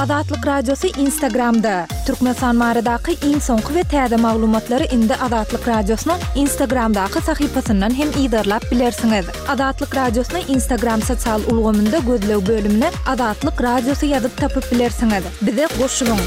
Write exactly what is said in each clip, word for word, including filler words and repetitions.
Azatlyk Radiosy Instagramda! Türkmenistan baradaky iň soňky we täze maglumatlary indi Azatlyk Radiosynyň Instagramdaky sahypasyndan hem yzarlap bilersiňiz. Azatlyk Radiosyny Instagram sosial ulgamynda gözleg bölümine Azatlyk Radiosy ýazyp tapyp bilersiňiz. Bize goşulyň!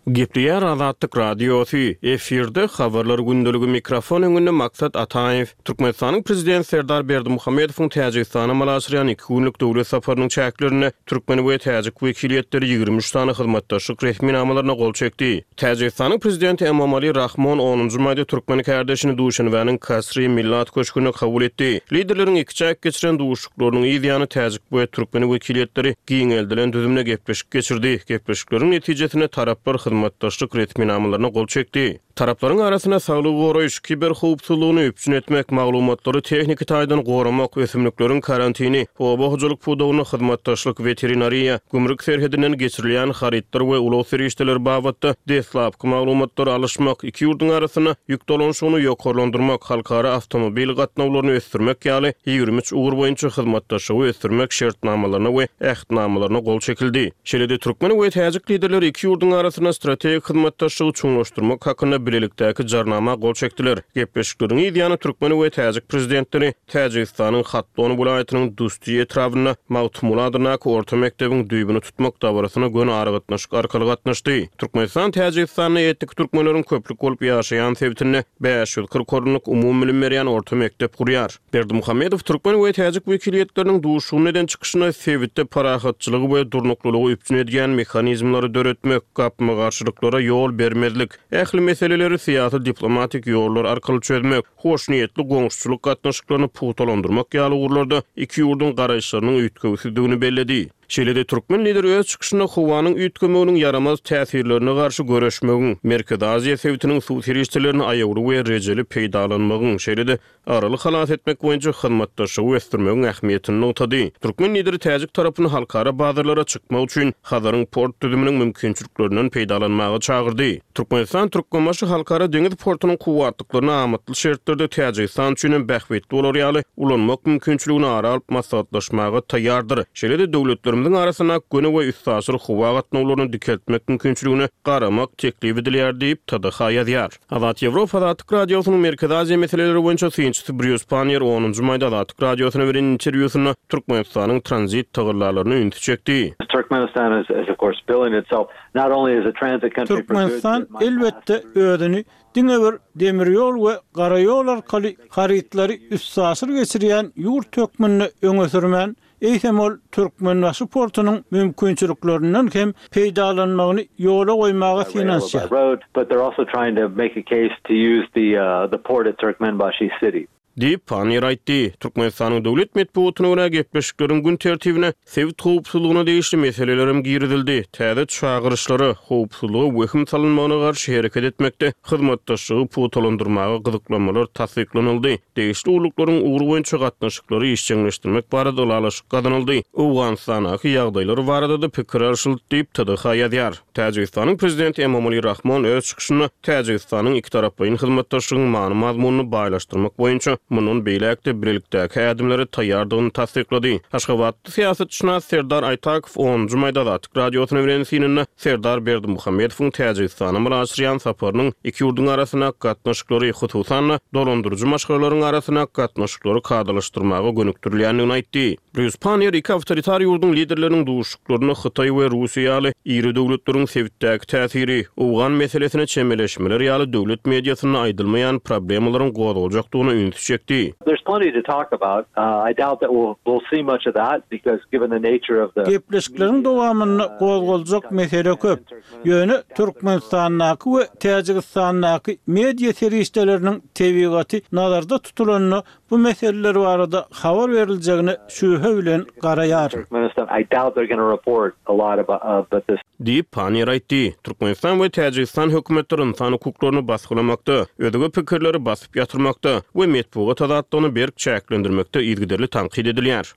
Gepleýär Azatlyk Radiosy, efirde Habarlar gündeligi mikrofon öňünde Maksat Ataýew. Türkmenistanyň Prezidenti Serdar Berdimuhamedowyň Täjigistana amala aşyrýan iki günlük döwlet saparynyň çäklerinde türkmen we täjik wekiliýetleri ýigrimi üç sany hyzmatdaşlyk resminamalaryna gol çekdi. Täjigistanyň Prezidenti Emomali Rahmon onunjy maýda türkmen kärdeşini Duşenbäniň Kasri Millat köşgünde kabul etdi. Liderleriň ikiçäk geçiren duşuşyklarynyň yz ýany täjik we türkmen wekiliýetleri giňeldilen düzümde gepleşik geçirdi. Gepleşikleriň netijesinde taraplar hyzmatdaşlyk resminamalaryna gol çekdi. Taraplaryň arasynda saglygy goraýyş, kiberhowpsuzlygyny üpjün etmek, maglumatlary tehniki taýdan goramak, ösümlikleriň karantini, oba hojalyk pudagynda hyzmatdaşlyk, weterinariýa, gümrük serhedinden geçirilýän harytlar we ulag serişdeleri babatda deslapky maglumatlary alyşmak, iki ýurduň arasynda ýük dolanyşygyny ýokarlandyrmak, halkara awtomobil gatnawlaryny ösdürmek ýaly ýigrimi üç ugur boýunça hyzmatdaşlygy ösdürmek şertnamalaryna we ähtnamalaryna gol çekildi. Şeýle-de türkmen we täjik liderleri iki ýurduň arasynda strategik hyzmatdaşlygy çuňlaşdyrmak hakynda bilelikdäki jarnama gol çekdiler. Gepleşikleriň yz ýany türkmen we täjik prezidentleri Täjigistanyň Hatlon welaýatynyň Dusti etrabynda Magtymguly adyndaky orta mekdebiň düýbüni tutmak dabarasyna göni aragatnaşyk arkaly gatnaşdy. Türkmenistan Täjigistanda etnik türkmenleriň köplük bolup ýaşaýan sebitinde bäş ýüz kyrk orunlyk umumybilim berýän orta mekdep gurýar. Berdimuhamedow türkmen we täjik wekiliýetleriniň duşuşygynda eden çykyşynda sebitde parahatçylygy we durnuklylygy üpjün edýän mehanizmleri döretmek, gapma-garşylyklara ýol bermezlik, ähli meseleleri syýasy-diplomatik ýollar arkaly çözmek, hoşniýetli goňşuçylyk gatnaşyklaryny pugtalandyrmak ýaly ugurlarda iki ýurduň garaýyşlarynyň üýtgewsizdigini belledi. Şeýle-de türkmen lideri öz çykyşynda howanyň üýtgemeginiň ýaramaz täsirlerine garşy göreşmegiň, Merkezi Aziýa sebitiniň suw serişdelerini aýawly we rejeli peýdalanmagyň, şeýle-de Araly halas etmek boýunça hyzmatdaşlygy ösdürmegiň ähmiýetini nygtady. Türkmen lideri täjik tarapyny halkara bazarlara çykmak üçin Hazaryň port düzüminiň mümkinçiliklerinden peýdalanmaga çagyrdy. Türkmenistan Türkmenbaşy halkara deňiz portunyň kuwwatlyklaryny amatly şertlerde Täjigistan üçin hem bähbitli bolar ýaly ulanmak mümkinçiligini ara alyp maslahatlaşmaga taýýardyr. Şeýle-de döwletlerimiziň arasyndaky göni we üstaşyr howa gatnawlaryny dikeltmek mümkinçiligine garamak teklip edilýär diýip, T D H ýazýar. Azat Ýewropa Azatlyk Radiosynyň Merkezi Aziýa meseleleri boýunça synçysy Brýus Panniýer onunjy maýda Azatlyk Radiosyna beren interwýusynda Türkmenistanyň tranzit tagallalaryna ünsi çekdi. Turkmenistan is, is of course billing itself not only as a transit country for goods Türkmenistan elbetde özüni diňe bir demir ýol we gara ýol arkaly harytlary üstaşyr geçirýän ýurt hökmünde öňe sürmän, eýsem ol Türkmenbaşy portunyň mümkinçiliklerinden hem peýdalanmagyny ýola goýmaga by rail or by synanyşýar. road, but they're also trying to make a case to use the, uh, the port at Turkmenbashi city. Diýip, Panniýer aýtdy. Türkmenistanyň döwlet metbugatyna görä, gepleşikleriň gün tertibine sebit howpsuzlygyna degişli meseleler hem girizildi. Täze çagyryşlara, howpsuzlyga wehim salynmagyna garşy hereket etmekde hyzmatdaşlygy pugtalandyrmaga gyzyklanmalar tassyklanyldy. Degişli gulluklaryň ugry boýunça gatnaşyklary işjeňleşdirmek barada ylalaşyk gazanyldy. Owganystandaky ýagdaýlar barada-da pikir alşyldy diýip, T D H ýazýar. Täjigistanyň Prezidenti Emomali Rahmon öz çykyşynda Täjigistanyň ikitaraplaýyn hyzmatdaşlygyň many-mazmunyny baýlaşdyrmak boýunça mundan beýläk-de bilelikdäki ädimlere taýýardygyny tassyklady. Aşgabatda syýasatşynas Serdar Aýtakow onunjy maýda Azatlyk Radiosyna beren synynda Serdar Berdimuhamedowyň Täjigistana amala aşyrýan saparynyň iki ýurduň arasyndaky gatnaşyklary, hususan-da dolandyryjy maşgalalaryň arasyndaky gatnaşyklary kadalaşdyrmaga gönükdirilýändigini aýtdy. Brýus Panniýer iki awtoritar ýurduň liderleriniň duşuşyklarynda Hytaý we Russiýa ýaly iri döwletleriň sebitdäki täsiri, owgan meselesine çemeleşmeler ýaly döwlet mediasynda aýdylmaýan problemalaryň gozgaljakdygyna ünsi çekdi. There's plenty to talk about. Uh, I doubt that we'll, we'll see much of that because given the nature of the Gepleşikleriň dowamynda gozgaljak mesele köp. Ýöne Türkmenistandaky we Täjigistandaky media serişdeleriniň tebigaty nazarda tutulanda bu meseleler barada habar beriljegine şübhe bilen garaýaryn. Turkmenistan, I doubt they're gonna report a lot about, about this. Diýip, Panniýer aýtdy. Türkmenistan we Täjigistan hökümetleri ynsan hukuklaryny basgylamakda, özge pikirleri basyp ýatyrmakda we metbugat azatlygyny berk çäklendirmekde yzygiderli tankyt edilýär.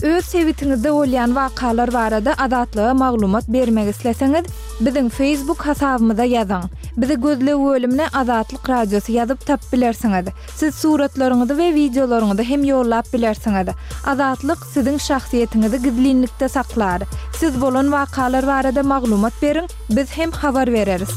Öz sebitiňizde bolýan wakalar barada Azatlyga maglumat bermek isleseňiz, biziň Facebook hasabymyza ýazyň. Bizi gözleg bölümine Azatlyk Radiosy ýazyp tapyp bilersiňiz. Siz suratlaryňyzy we wideolaryňyzy hem ýollap bilersiňiz. Azatlyk siziň şahsyýetiňizi gizlinlikde saklar. Siz bolan wakalar barada maglumat beriň, biz hem habar bereris.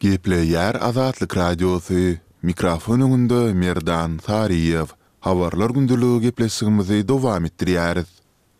Gepleýär Azatlyk Radiosy, mikrofon öňünde Merdan Saryýew. Habarlar gündeligi gepleşigimizi dowam etdirýäris.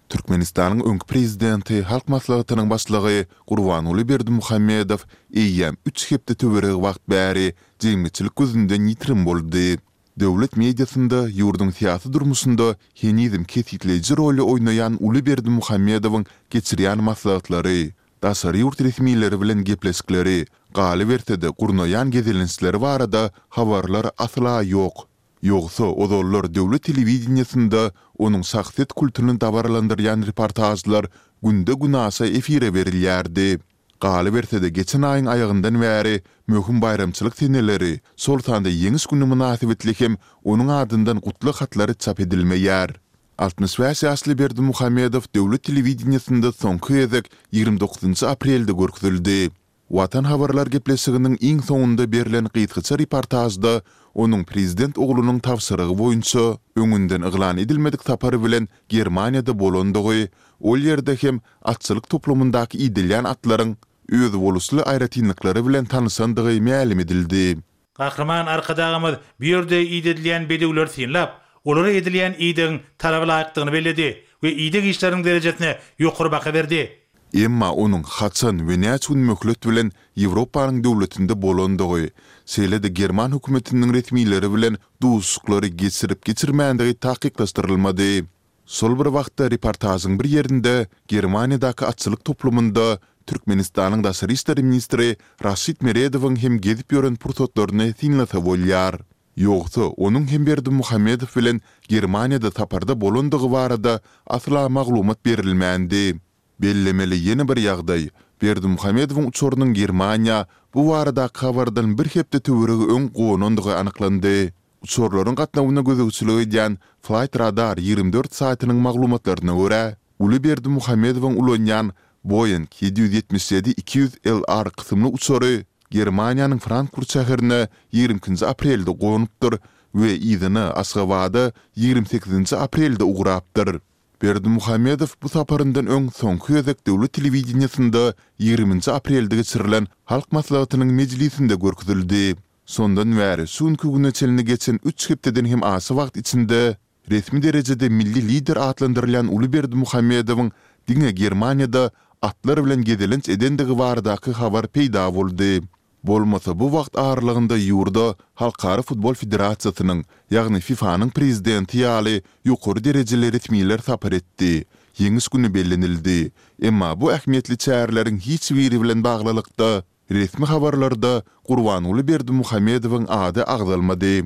Türkmenistanyň öňki prezidenti, Halk Maslahatynyň Başlygy Gurbanguly Berdimuhamedow eýýäm üç hepde töweregi wagt bäri jemgyýetçilik gözünden ýitirim boldy. Döwlet mediasynda ýurduň syýasy durmuşynda henizem kesgitleýji roly oýnaýan uly Berdimuhamedowyň geçirýän maslahatlary, daşary ýurt resmileri bilen gepleşikleri, galyberse-de gurnaýan gezelençleri barada habarlar asla ýok. Ýogsa ozallar döwlet telewideniýesinde onuň şahsyýet kultuny dabaralandyrýan reportažlar günde-günaşa efire berilýärdi. Galyberse-de geçen aýyň aýagyndan bäri möhüm baýramçylyk seneleri, şol sanda Ýeňiş güni mynasybetli hem onuň adyndan gutlag hatlary çap edilmeýär. Altmyş bäş ýaşly Berdimuhamedow döwlet telewideniýesinde soňky gezek ýigrimi dokuzynjy aprelde görkezildi. Watan habarlar gepleşiginiň iň soňunda berlen gysgaça reportažda onuň prezident oglunyň tabşyrygy boýunça öňünden yglan edilmedik sapar bilen Germaniýada bolandygy, ol ýerde hem atçylyk toplumyndaky idilýän atlaryň özboluşly aýratynlyklary bilen tanyşandygy mälim edildi. Gahryman Arkadagymyz bu ýerde idedilýän bedewleri synlap, olara edilýän idegiň talaba laýykdygyny belledi we ideg işleriniň derejesine ýokary baha berdi. Emma onuň haçan we näçe gün möhlet bilen Ýewropanyň döwletinde bolandygy, şeýle-de german hökümetiniň resmileri bilen duşuşyklary geçirip-geçirmändigi takyklaşdyrylmady. Şol bir wagtda reportažyň bir ýerinde Germaniýadaky atçylyk toplumynda Türkmenistanyň daşary işler ministri Raşid Meredowyň hem gezip ýören pursatlaryny synlasa bolýar. Ýogsa, onuň hem Berdimuhamedow bilen Germaniýada saparda bolandygy barada asla maglumat berilmändi. Bellemeli ýene bir ýagdaý, Berdimuhamedowyň uçarynyň Germaniýa bu baradaky habardan bir hepde töweregi öň gonandygy anyklandy. Uçarlaryň gatnawyna gözegçilik edýän Flightradar ýigrimi dört saýtynyň maglumatlaryna görä, uly Berdimuhamedowyň ulanýan Boeing ýedi ýüz ýetmiş ýedi iki ýüz L R kysymly uçary Germaniýanyň Frankfurt şäherine ýigrimi ikinji aprelde gonupdyr we yzyna Aşgabada ýigrimi sekizinji aprelde ugrapdyr. Berdimuhamedow bu saparyndan öň soňky gezek döwlet telewideniýesinde ýigriminji aprelde geçirilen Halk Maslahatynyň mejlisinde görkezildi. Şondan bäri şu günki güne çenli geçen üç hepdeden hem aşa wagt içinde resmi derejede milli lider atlandyrylýan uly Berdimuhamedowyň diňe Germaniýada atlar bilen gezelenç edendigi baradaky habar peýda boldy. Bolmasa bu wagt aralygynda ýurda Halkara futbol federasiýasynyň, ýagny FIFA-nyň prezidenti ýaly ýokary derejeli resmiler sapar etdi, Ýeňiş güni bellenildi. Emma bu ähmiýetli çäreleriň hiç biri bilen baglylykda resmi habarlarda Gurbanguly Berdimuhamedowyň ady agzalmady.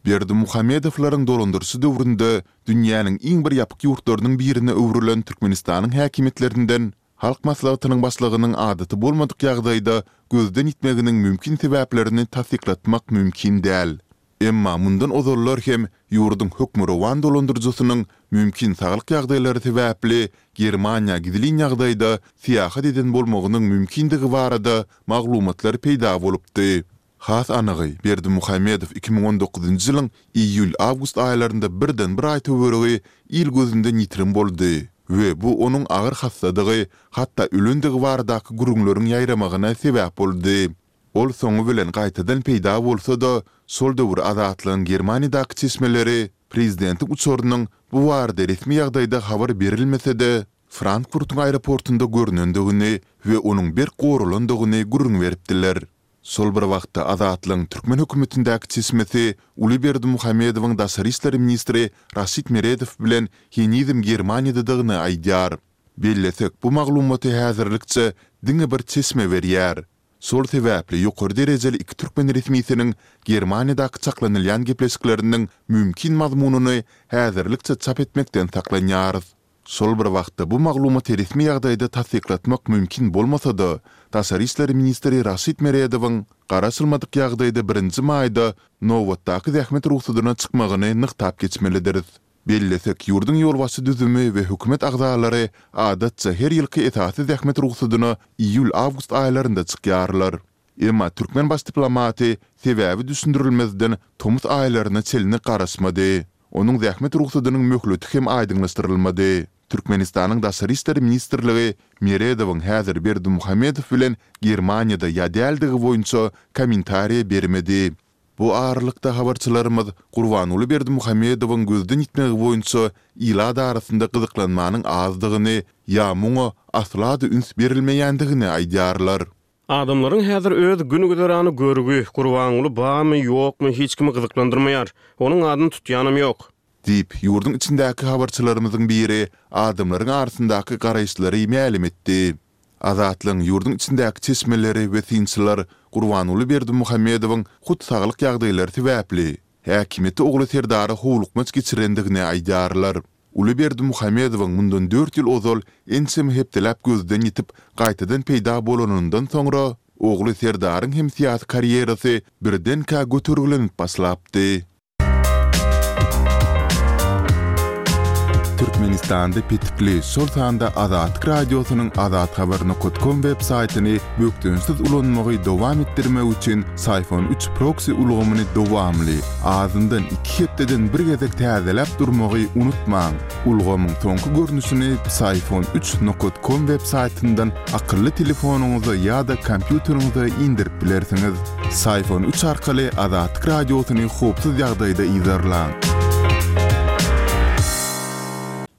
Berdimuhamedowlaryň dolandyryşy döwründe dünýäniň iň bir ýapyk ýurtlarynyň birine öwrülen Türkmenistanyň häkimiýetlerinden Halk Maslahatynyň Başlygynyň adaty bolmadyk ýagdaýda gözden ýitmeginiň mümkin sebäplerini tassyklatmak mümkin däl. Emma mundan ozallar hem ýurduň hökmürowan dolandyryjysynyň mümkin saglyk ýagdaýlary sebäpli Germaniýa gizlin ýagdaýda syýahat eden bolmagynyň mümkindigi barada maglumatlar peýda bolupdy. Has anygy, Berdimuhamedow iki müň on dokuzynjy ýylyň iýul-awgust aýlarynda birden bir aý töweregi il gözünden ýitirim boldy we bu onuň agyr hassadygy, hatda ölendigi baradaky gürrüňleriň ýaýramagyna sebäp boldy. Ol soňy bilen gaýtadan peýda bolsa-da, şol döwür Azatlygyň Germaniýadaky çeşmeleri prezidentiň uçarynyň bu barada resmi ýagdaýda habar berilmese-de, Frankfurtyň aeroportunda görnendigini we onuň berk goralandygyny gürrüň beripdiler. Şol bir wagtda Azatlygyň türkmen hökümetindäki çeşmesi uly Berdimuhamedowyň daşary işler ministri Raşid Meredow bilen henizem Germaniýadadygyny aýdýar. Bellesek, bu maglumaty häzirlikçe diňe bir çeşme berýär. Şol sebäpli ýokary derejeli iki türkmen resmisiniň Germaniýadaky çaklanylýan gepleşikleriniň mümkin mazmunyny häzirlikçe çap etmekden saklanýarys. Şol bir wagtda bu maglumaty resmi ýagdaýda tassyklatmak mümkin bolmasa-da, daşary işler ministri Raşid Meredowyň garaşylmadyk ýagdaýda birinji maýda nobatdaky zähmet rugsadyna çykmagyny nygtap geçmelidiris. Bellesek, ýurduň ýolbaşçy düzümi we hökümet agzalary adatça her ýylky esasy zähmet rugsadyna iýul-awgust aýlarynda çykýarlar. Emma türkmen baş diplomaty sebäbi düşündirilmezden tomus aýlaryna çenli garaşmady. Onuň zähmet rugsadynyň möhleti hem aýdyňlaşdyrylmady. Türkmenistanyň Daşary işler ministrligi Meredowyň häzir Berdimuhamedow bilen Germaniýada ýa däldigi boýunça kommentariýa bermedi. Bu aralykda, habarçylarymyz Gurbanguly Berdimuhamedowyň gözden ýitmegi boýunça ilat arasynda gyzyklanmanyň azdygyny ýa muňa asla-da üns berilmeýändigini aýdýarlar. Adamlaryň häzir öz gün-güzerany görgi, Gurbanguly barmy, ýokmy hiç kimi gyzyklandyrmaýar. Onuň adyny tutýanam ýok. Diýip, ýurduň içindäki habarçylarymyzyň biri adamlaryň arasyndaky garaýyşlary mälim etdi. Azatlygyň ýurduň içindäki çeşmeleri we synçylar Gurbanguly Berdimuhamedowyň hut saglyk ýagdaýlary sebäpli, häkimiýeti ogly Serdara howlukmaç geçirendigini aýdýarlar. Uly Berdimuhamedowyň mundan dört ýyl ozal ençeme hepdeläp gözden ýitip, gaýtadan peýda bolanyndan soňra, ogly Serdaryň hem syýasy karýerasy birdenkä götergilenip başlapdy. Türkmenistanda petikli, şol sanda Azatlyk Radiosynyň azathabar nokat kom web saýtyny bökdençsiz ulanmagy dowam etdirmek üçin Syfon üç proksi ulgamyny dowamly, azyndan iki hepdeden bir gezek täzeläp durmagy unutmaň. Ulgamyň soňky görnüşini Psiphon üç nokat kom web saýtyndan akylly telefonyňyza ýa-da kompýuteriňize indirip bilersiňiz. Psiphon üç arkaly Azatlyk Radiosyny howpsuz ýagdaýda yzarlaň.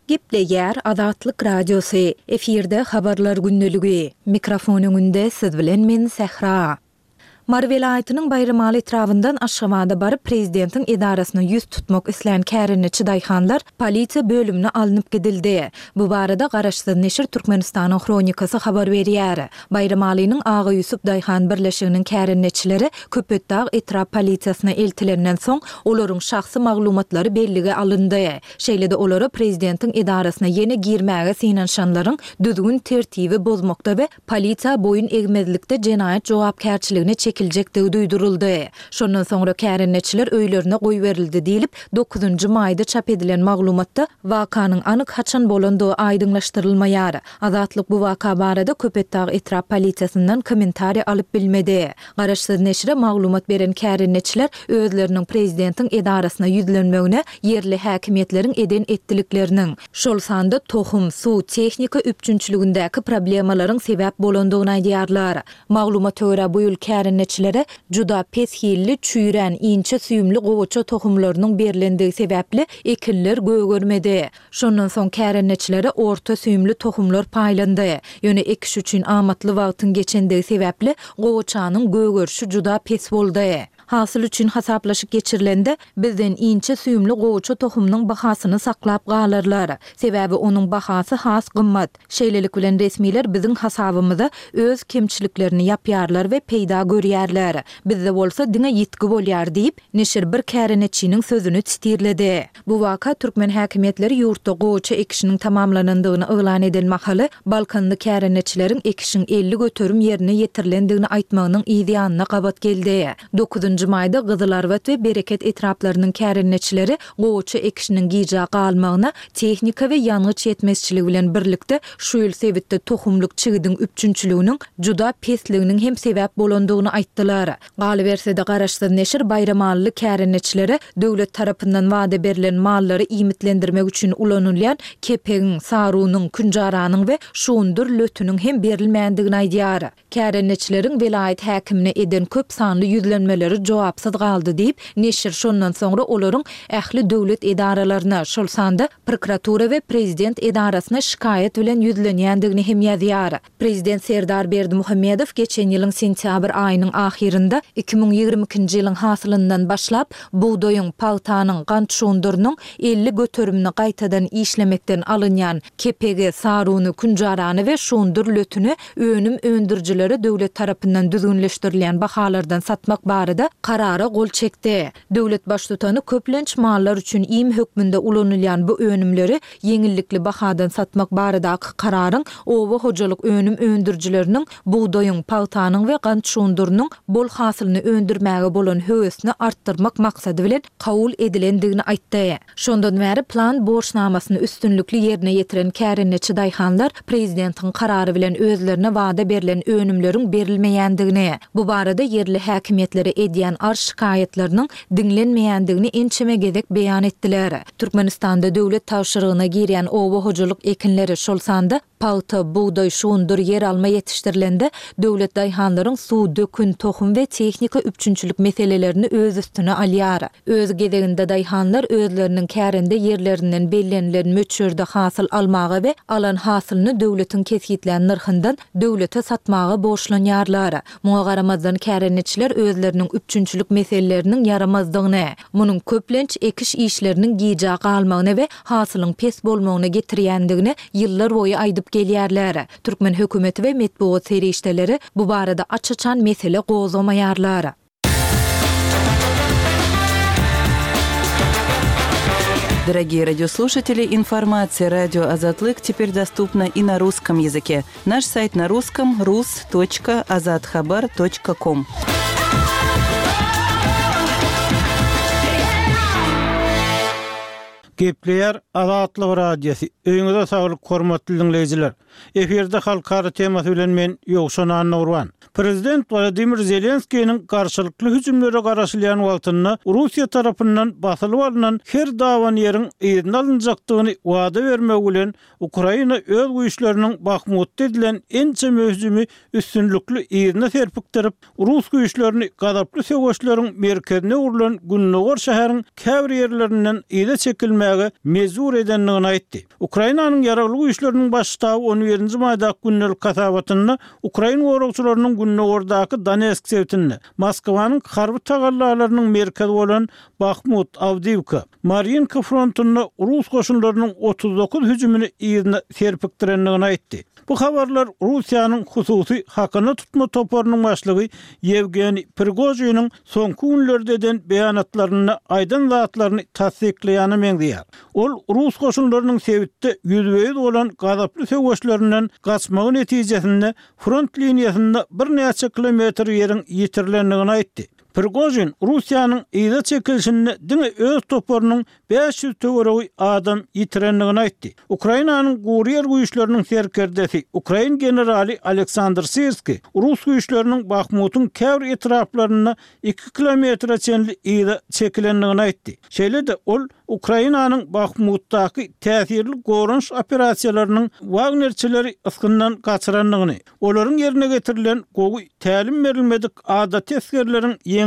Gepleýär Azatlyk Radiosy, efirde Habarlar gündeligi. Mikrofon öňünde siz bilen men Sähra. Mary welaýatynyň Baýramaly etrabyndan Aşgabada baryp prezidentiň edarasyna ýüz tutmak islän kärendeçi daýhanlar polisiýa bölümine alnyp gidildi. Bu barada garaşsyz neşir Türkmenistanyň Hronikasy habar berýär. Baýramalynyň Aga Ýusup daýhan birleşiginiň kärendeçileri Köpetdag etrap polisiýasyna eltilenden soň, olaryň şahsy maglumatlary bellige alyndy. Şeýle-de olara prezidentiň edarasyna ýene girmäge synanyşanlaryň düzgün-tertibi bozmakda we polisiýa boýun egmezlikde jenaýat jogapkärçiligine çekiljekdigi duýduryldy. Şondan soňra kärendeçiler öýlerine goýberildi diýlip, dokuzynjy maýda çap edilen maglumatda wakanyň anyk haçan bolandygy aýdyňlaşdyrylmaýar. Azatlyk bu waka barada Köpetdag etrap polisiýasyndan kommentariý alyp bilmedi. Garaşsyz neşire maglumat beren kärendeçiler özleriniň prezidentiň edarasyna ýüzlenmegine ýerli häkimiýetleriň eden-etdilikleriniň, şol sanda tohum, suw, tehnika üpjünçiligindäki problemalaryň sebäp bolandygyny aýdýarlar. Maglumata görä, bu ýyl kärendeçilere juda pes hilli, çüýrän, inçe süýümli gowaça tohumlarynyň berlendigi sebäpli ekinler gögermedi. Şondan soň kärendeçilere orta süýümli tohumlar paýlandy. Ýöne ekiş üçin amatly wagtyň geçendigi sebäpli gowaçanyň gögerişi juda pes boldy. Hasyl üçin hasaplaşyk geçirilende, bizden inçe süýümli gowaça tohumynyň bahasyny saklap galarlar. Sebäbi onuň bahasy has gymmat. Şeýlelik bilen resmiler biziň hasabymyza öz kemçiliklerini ýapýarlar we peýda görýärler. Bizde bolsa diňe ýitgi bolýar diýip, neşir bir käreneçiniň sözüni sitirledi. Bu waka türkmen häkimiýetleri ýurtda gowaça ekişiniň tamamlanandygyny yglan eden mahaly, balkanly käreneçileriň ekişiň elli göterim ýerine ýetirilendigini aýtmagynyň yz ýanyna gabat geldi. Dokuzynjy maýda Gyzylarbat we Bereket etraplarynyň kärendeçileri gowaça ekişiniň gijä galmagyna tehnika we ýangyç ýetmezçiligi bilen birlikde şu ýyl sebitde tohumlyk çigidiň üpjünçiliginiň juda pesliginiň hem sebäp bolandygyny aýtdylar. Galyberse-de, garaşsyz neşir baýramalyly kärendeçilere döwlet tarapyndan wada berlen mallary iýmitlendirmek üçin ulanylýan kepegiň, sarunyň, künjaranyň we şugundyr lötüniň hem berilmändigini aýdýar. Kärendeçileriň welaýat häkimine eden köp sanly ýüzlenmeleri jogapsyz galdy diýip, neşir şondan soňra olaryň ähli döwlet edaralaryna, şol sanda prokuratura we prezident edarasyna şikaýat bilen ýüzlenýändigini hem ýazýar. Prezident Serdar Berdimuhamedow geçen ýylyň sentýabr aýynyň ahyrynda iki müň ýigrimi ikinji ýylyň hasylyndan başlap, bugdaýyň, pagtanyň, gant şugundyrynyň elli göterimini gaýtadan işlemekden alynýan kepegi, saruny, künjarany we şugundyr lötüni önüm öndürijilere döwlet tarapyndan düzgünleşdirilýän bahalardan satmak barada Karara gol çekdi. Döwlet baştutany köplenç mallar üçin iým hökmünde ulanylýan bu önümleri ýeňillikli bahadan satmak baradaky kararyň oba hojalyk önüm öndürijileriniň bugdaýyň, pagtanyň we gant şugundyrynyň bol hasylyny öndürmäge bolan höwesini artdyrmak maksady bilen kabul edilendigini aýtdy. Şondan bäri plan borçnamasyny üstünlikli ýerine ýetiren kärendeçi daýhanlar prezidentiň karary bilen özlerine wada berlen önümleriň berilmeýändigini, bu barada ýerli häkimiýetlere edýän arz-şikaýatlarynyň diňlenmeýändigini ençeme gezek beýan etdiler. Türkmenistanda döwlet tabşyrygyna girýän oba hojalyk ekinleri, şol sanda pagta, bugdaý, şugundyr, ýeralma ýetişdirilende, döwlet daýhanlaryň suw, dökün, tohum we tehnika üpjünçilik meselelerini öz üstüne alýar. Öz gezeginde daýhanlar özleriniň kärende ýerlerinden bellenilen möçberde hasyl almaga we alan hasylyny döwletiň kesgitlän nyrhyndan döwlete satmaga borçlanýarlar. Muňa garamazdan kärendeçiler özleriniň üpjünçilik meseleleriniň ýaramazdygyny, munuň köplenç ekiş işleriniň gijä galmagyna we hasylyň pes bolmagyna getirýändigini ýyllar boýy aýdyp gelýärler. Türkmen hökümeti we metbugat serişdeleri bu barada aç-açan mesele gozgamaýarlar. Дорогие радиослушатели, информация радио Азатлык теперь доступна и на русском языке. Наш сайт на русском rus.azathabar.com. Gepleýär Azatlyk Radiosy. Öýüňize saglyk hormatly diňleýjiler. Efirde halkara temasy bilen men Ýowşan Annagurban. Prezident Wladimir Zelenskiniň garşylykly hüjümlere garaşylýan wagtynda Russiýa tarapyndan basylyp alnan her dawan ýeriň yzyna alynjakdygyny wada bermegi bilen Ukraina öz güýçleriniň Bahmutda edilen ençeme hüjümi üstünlikli yzyna serpikdirip, Rus güýçlerini gazaply söweşleriň merkezine urlan Gündogar şäheriň käbir ýerlerinden yza çekilmäge mejbur edendigini aýtdy. Ukrainanyň ýaragly güýçleriniň baş ştaby on birinji maýdaky gündelik hasabatynda Ukrain goragçylarynyň Gündogardaky Donetsk sebitinde Moskwanyň harby tagallalarynyň merkezi bolan Bahmut, Awdiwka, Marinka frontunda Rus goşunlarynyň otuz dokuz hüjümini yzyna serpikdirendigini aýtdy. Bu habarlar Russiýanyň hususy hakyna tutma toparynyň başlygy Ýewgeniý Prigojiniň soňky günlerde eden beýanatlarynda aýdan zatlaryny tassyklaýana meňzeýär. Ol Rus goşunlarynyň sebitde ýüzbe-ýüz bolan gazaply söweşlerinden gaçmagy netijesinde front liniýasynda birnäçe kilometr ýeriň ýitirilendigini aýtdy. Prigojin Russiýanyň yza çekilişinde diňe öz toparynyň bäş ýüz töweregi adam ýitirendigini aýtdy. Ukrainanyň gury ýer güýçleriniň serkerdesi Ukrain generaly Aleksandr Sirski Rus güýçleriniň Bahmutyň käbir etraplarynda iki kilometre çenli yza çekilendigini aýtdy. Şeýle-de ol Ukrainanyň Bahmutdaky täsirli goranyş operasiýalarynyň Wagnerçileri ysgyndan gaçyrandygyny, olaryň ýerine getirilen gowy tälim berilmedik adaty esgerleriň ýeňlip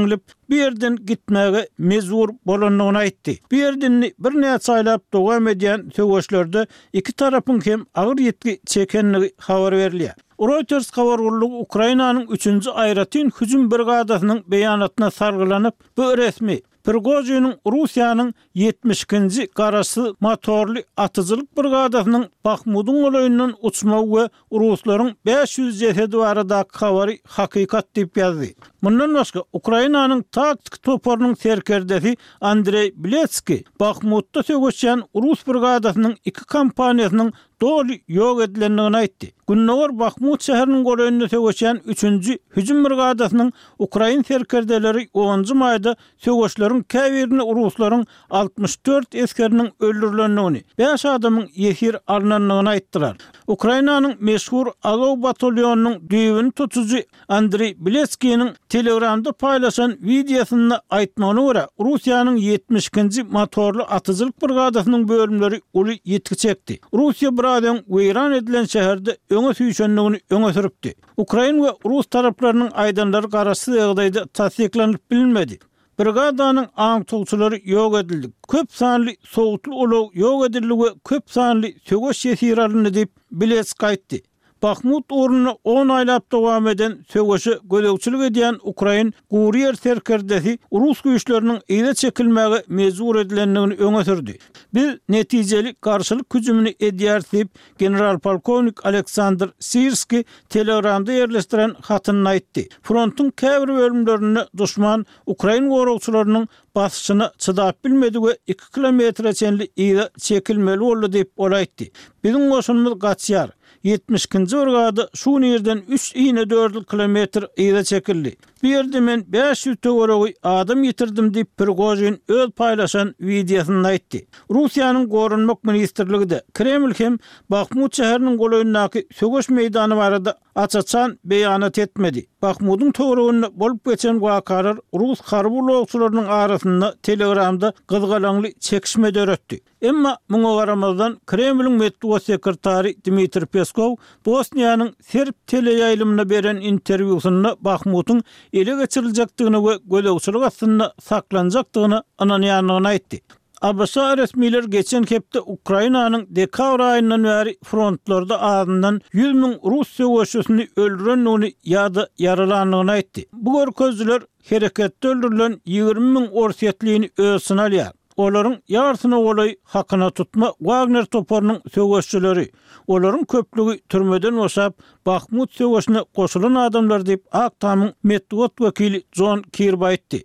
bu ýerden gitmäge mejbur bolandygyny aýtdy. Bu ýerde birnäçe aýlap dowam edýän söweşlerde iki tarapyň hem agyr ýitgi çekendigi habar berilýär. Reuters habar gullugy Ukrainanyň üçünji aýratyn hüjüm brigadasynyň beýanatyna sargylanyp, bu resmi Prigojiniň Russiýanyň ýetmiş ikinji garaşsyz motorly atyjylyk brigadasynyň Bahmudyň golaýyndan uçmagy we ruslaryň bäş ýüz jesedi baradaky habary hakykat diýip ýazdy. Mundan başga Ukrainanyň taktik toparynyň serkerdesi Andrei Biletski Bahmutda söweşýän Rus brigadasynyň iki kompaniýasynyň doly ýok edilendigini aýtdy. Gündogar Bahmut şäheriniň golaýynda söweşýän üçünji hüjüm brigadasynyň Ukrain serkerdeleri onunjy maýda söweşleriň käbirinde ruslaryň altmyş dört esgeriniň öldürilendigini, bäş adamyň ýesir alynandygyny aýtdylar. Ukrainanyň meşhur Azov batalýonynyň düýbüni tutujy Andrei Biletskiniň Telegramda paýlaşan wideosynda aýtmagyna görä, Russiýanyň ýetmiş ikinji motorly atyjylyk brigadasynyň bölümleri uly ýitgi çekdi. Russiýa biraz öň weýran edilen şäherde öňe süýşendigini öňe sürüpdi. Ukrain we Rus taraplarynyň aýdanlary garaşsyz ýagdaýda tassyklanyp bilinmedi. Brigadanyň aňtawçylary ýok edildi. Köp sanly sowutly ulag ýok edildi we köp sanly söweş ýesir alyndy diýip Biletsk aýtdy. Bahmut ugrunda on aýlap dowam eden söweşe gözegçilik edýän ukrain gury ýer serkerdesi rus güýçleriniň yza çekilmäge mejbur edilendigini öňe sürdi. Biz netijeli garşylyk hüjümini edýäris diýip, general-polkownik Aleksandr Sirski Telegramda ýerleşdiren hatynda aýtdy. Frontuň käbir bölümlerinde duşman ukrain goragçylarynyň basyşyna çydap bilmedi we iki kilometre çenli yza çekilmeli boldy diýip, ol aýtdy. Biziň goşunymyz gaçýar. Ýetmiş ikinji brigada şu gün irden üç inedördül kilometr yza çekildi. Bu ýerde men bäş ýüz töweregi adam ýitirdim diýip, Prigožin öz paýlaşan wideosynda aýtdy. Russiýanyň Goranmak ministrligi-de, Kreml hem Bahmut şäheriniň golaýyndaky söweş meýdany barada aç-açan beýanat etmedi. Bahmudyň töwereginde bolup geçen wakalar rus harby ulagçylarynyň arasynda Telegramda gyzgalaňly çekişme döretdi. Emma muňa garamazdan Kremliň metbugat sekretary Dmitriý Peskow Bosniýanyň serb teleýaýlymyna beren interwýusynda Bahmutyň ele geçiriljekdigine we gözegçilik astynda saklanjakdygyna ynanýandygyny aýtdy. ABŞ resmiler geçen hepde Ukrainanyň dekabr aýyndan bäri frontlarda azyndan ýüz müň rus söweşçisini öldürendigini ýa-da ýaralandygyny aýtdy. Bu görkezijiler hereketde öldürilen ýigrimi müň orsýetlini öz içine alýar. Olaryň ýarsyna golaý hakyna tutma Wagner toparynyň söweşçileri, olaryň köplügi türmeden boşap, Bahmut söweşine goşulan adamlar diýip, Ak Tamyň metbugat wekili Jon Kirbi aýtdy.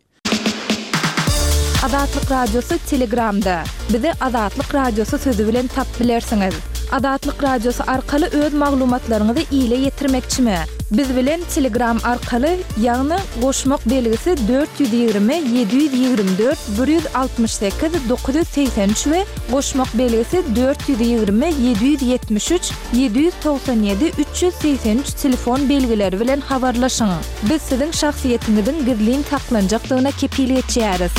Azatlyk Radiosy Telegramda. Bizi Azatlyk Radiosy sözi bilen tapyp bilersiňiz. Azatlyk Radiosy arkaly öz maglumatlaryňyzy ile ýetirmekçimi? Biz bilen Telegram arkaly, ýagny goşmak belgisi dört ýüz ýigrimi ýedi ýüz ýigrimi dört bir ýüz altmyş sekiz dokuz ýüz segsen üç we goşmak belgisi dört ýüz ýigrimi ýedi ýüz ýetmiş üç ýedi ýüz togsan ýedi üç ýüz segsen üç telefon belgileri bilen habarlaşyň. Biz siziň şahsyýetiňiziň gizlin saklanjakdygyna kepil geçýäris.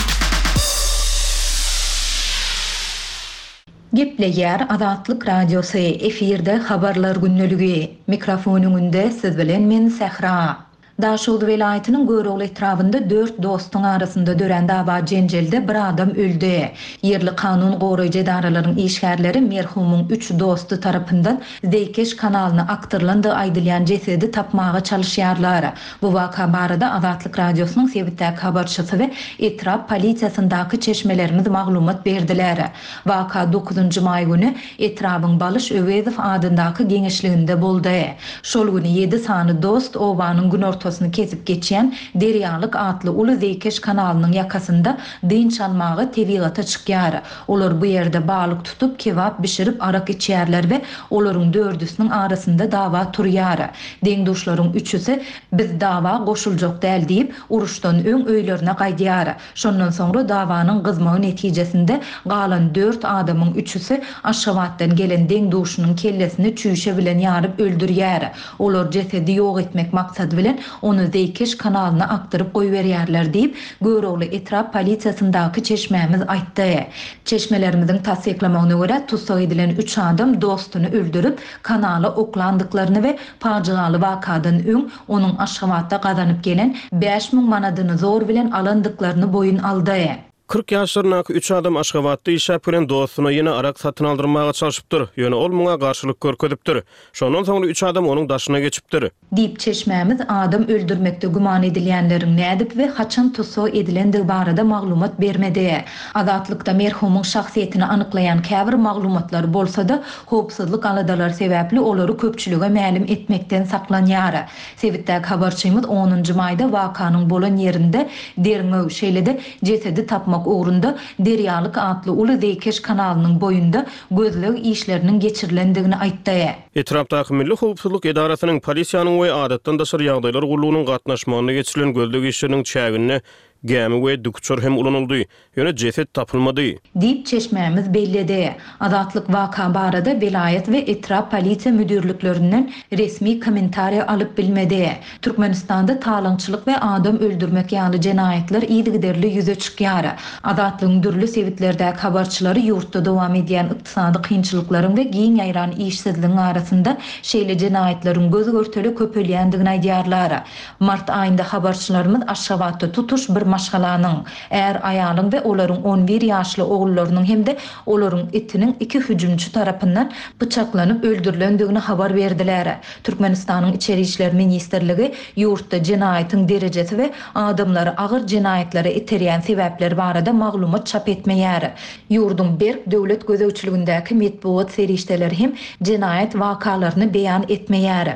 Gepleýär Azatlyk Radiosy, efirde Habarlar gündeligi. Mikrofon öňünde siz bilen men Sähra. Daşoguz welaýatynyň Görogly etrabynda dört dostuň arasynda dörän dawa-jenjelde bir adam öldi. Ýerli kanun goraýjy edaralaryň işgärleri merhumyň üç dosty tarapyndan zeýkeş kanalyna akdyrylandygy aýdylýan jesedi tapmaga çalyşýarlar. Bu waka barada Azatlyk Radiosynyň sebitdäki habarçysy we etrap polisiýasyndaky çeşmelerimiz maglumat berdiler. Waka dokuzynjy maý güni etrabyň Balyş Öwezow adyndaky geňeşliginde boldy. Şol güni ýedi sany dost obanyň günortasyny kesip geçýän Derýalyk atly uly zeýkeş kanalynyň ýakasynda dynç almaga tebigata çykýar. Olar bu ýerde balyk tutup, kebap bişirip arak içýärler we olaryň dördüsiniň arasynda dawa turýar. Deň-duşlaryň üçüsi Biz dawa goşuljak däl diýip, uruşdan öň öýlerine gaýdýar. Şondan soňra dawanyň gyzmagy netijesinde galan dört adamyň üçüsi Aşgabatdan gelen deň-duşunyň kellesini çüýşe bilen ýaryp öldürýär. Olar jesedi ýok etmek maksady bilen ony zeýkeş kanalyna akdyryp goýberýärler diýip, Görogly etrap polisiýasyndaky çeşmämiz aýtdy. Çeşmelerimiziň tassyklamagyna görä, tussag edilen üç adam dostuny öldürip, kanala oklandyklaryny we pajygaly wakadan öň onuň Aşgabatda gazanyp gelen bäş müň manadyny zor bilen alandyklaryny boýun aldy. Kyrk ýaşlaryndaky üç adam Aşgabatda işläp gelen dostuna ýene arak satyn aldyrmaga çalşypdyr, ýöne ol muňa garşylyk görkezipdir. Şondan soňra üç adam onuň daşyna geçipdir. Diýip, çeşmämiz adam öldürmekde güman edilýänleriň nädip we haçan tussag edilendigi barada maglumat bermedi. Azatlykda merhumyň şahsyýetini anyklaýan käbir maglumatlar bolsa-da, howpsuzlyk aladalary sebäpli olary köpçülige mälim etmekden saklanýar. Sebitdäki habarçymyz onunjy maýda wakanyň bolan ýerinde derňew, şeýle-de jesedi tapmak ugrunda Derýalyk atly uly zeýkeş kanalynyň boýunda gözleg işleriniň geçirilendigini aýtdy. Etrapdaky Milli howpsuzlyk edarasynyň, polisiýanyň we Adatdan daşary ýagdaýlar gullugynyň gatnaşmagynda geçirilen gözleg işleriniň çäginde gämi we dikuçar hem ulanyldy, ýöne jeset tapylmady. Diýip, çeşmämiz belledi. Azatlyk waka barada welaýat we etrap polisiýa müdirliklerinden resmi kommentariýa alyp bilmedi. Türkmenistanda talaňçylyk we adam öldürmek ýaly jenaýatlar yzygiderli ýüze çykýar. Azatlygyň dürli sebitlerdäki habarçylary ýurtda dowam edýän ykdysady kynçylyklaryň we giň ýaýran işsizligiň arasynda şeýle jenaýatlaryň göz-görtele köpelýändigini aýdýarlar. Mart aýynda habarçylarymyz Aşgabatda tutuş bir maşgalanyň, är-aýalyň we olaryň on bir ýaşly ogullarynyň hem-de olaryň itiniň iki hüjümçi tarapyndan pyçaklanyp öldürilendigini habar berdiler. Türkmenistanyň Içeri işler ministrligi ýurtda jenaýatyň derejesi we adamlary agyr jenaýatlara iterýän sebäpler barada maglumat çap etmeýär. Ýurduň berk döwlet gözegçiligindäki metbugat serişdeleri hem jenaýat wakalaryny beýan etmeýär.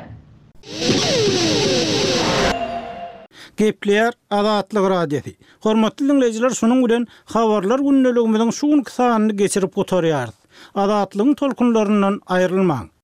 Gepleýär Azatlyk Radiosy. Hormatly dinleýjiler, şunuň bilen habarlar gündeligimiziň şu günki sanyny geçirip gutarýarys. Azatlygyň tolkunlaryndan aýrylmaň.